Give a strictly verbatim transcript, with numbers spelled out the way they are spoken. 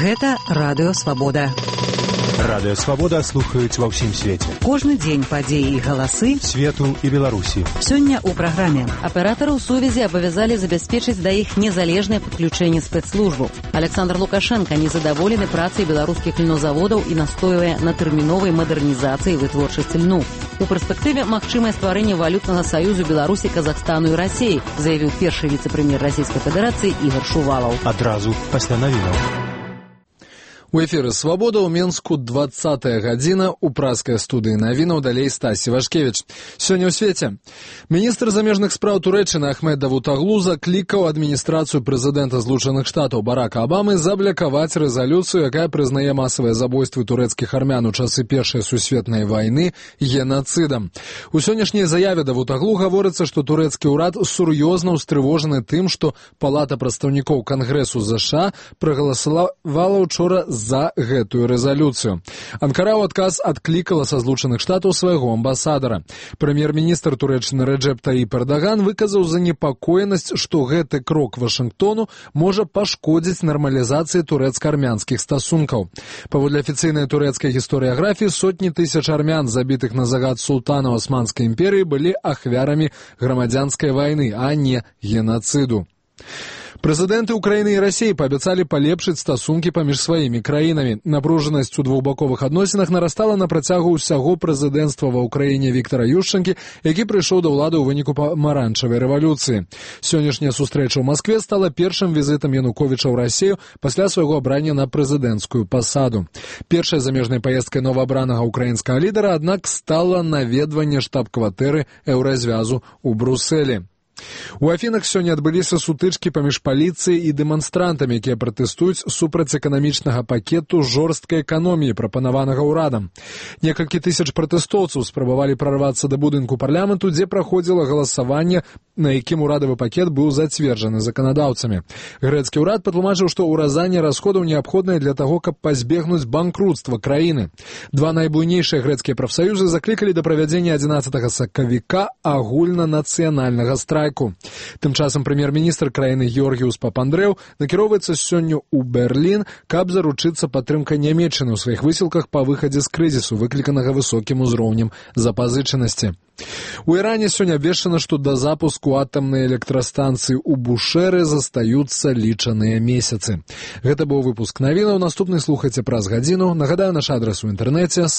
Гэта Радыё Свабода. Радыё Свабода слухаюць ва ўсім свеце. Кожны дзень падзеі і галасы свету і Беларусі. Сёння ў праграме аператараў сувязі абавязалі забяспечыць да іх незалежнае падключэнне спецслужбаў. Александр Лукашенко незадаволены працай беларускіх льнозаводаў і настойвае на тэрміновай мадэрнізацыі вытворчасці льну. У перспектыве магчымае стварэнне валютнага саюзу Беларусі, Казахстану і Расіі, заявіў першы віцэ-прэм'ер Расійскай Федэрацыі Ігор Шувалаў. Адразу пасля навінаў. У эфіры «Свабода» ў Менску двадцатая гадзіна, у праскай студыі навінаў далей Стасі Вашкевіч. Сёння ў свеце. Міністр замежных спраў Турэччыны Ахмед Давутаглу заклікаў адміністрацыю прэзідэнта Злучаных Штатаў Барака Абамы заблякаваць рэзалюцыю, якая прызнае масавыя забойствы турэцкіх армян у часы Першай сусветнай вайны генацыдам. У сённяшняй заяве Давутаглу гаворыцца, што турэцкі ўрад сур'ёзна ўстрывожаны тым, што Палата прадстаўнікоў Кангрэсу ЗША прагаласавала ўчора за гэтую рэзалюцыю. Анкара ў адказ адклікала са Злучаных Штатаў свайго амбасадара. Прэм'ер-міністр Турэччыны Рэджэп Таіп Эрдаган выказаў занепакоенасць, што гэты крок Вашынгтону можа пашкодзіць нармалізацыі турэцка-армянскіх стасункаў. Паводле афіцыйнай турэцкай гісторыяграфіі, сотні тысяч армян, забітых на загад султана Османскай імперыі, былі ахвярамі грамадзянскай вайны, а не генацыду. Прэзідэнты Украіны і Расіі паабяцалі палепшыць стасункі паміж сваімі краінамі. Напружанасць у двухбаковых адносінах нарастала на працягу ўсяго прэзідэнцтва ва ўкраіне Віктара Ющэнкі, які прыйшоў да ўлады ў выніку памаранчавай рэвалюцыі. Сённяшняя сустрэча ў Маскве стала першым візітам Януковіча ў Расію пасля свайго абрання на прэзідэнцкую пасаду. Першай замежнай паездкай новаабранага украінскага лідара, аднак, стала наведванне штаб-кватэры Еўразвязу ў Брусэлі. У Афінах сёння адбыліся сутычкі паміж паліцыяй і дэманстрантамі, якія пратэстуюць супраць эканамічнага пакету жорсткай эканоміі, прапанаванага ўрадам. Некалькі тысяч пратэстоўцаў спрабавалі прарвацца да будынку парламенту, дзе праходзіла галасаванне, на якім урадавы пакет быў зацверджаны заканадаўцамі. Грэцкі ўрад патлумачыў, што ўразанне расходаў неабходнае для таго, каб пазбегнуць банкрутства краіны. Два найбуйнейшыя грэцкія прафсаюзы заклікалі да правядзення адзінаццатага сакавіка агульнанацыянальнага страйку. Тым часам прэм'ер-міністр краіны Георгіус Папандрэў накіроўваецца сёння ў Берлін, каб заручыцца падтрымкай Нямецчыны ў сваіх высілках па выхадзе з крызісу, выкліканага высокім узроўнем запазычанасці. У Іране сёння абвешчана, што да запуску атамнай электрастанцыі ў Бушэры застаюцца лічаныя месяцы. Гэта быў выпуск навінаў. Наступны слухайце праз гадзіну. Нагадаю, наш адрас у інтэрнэце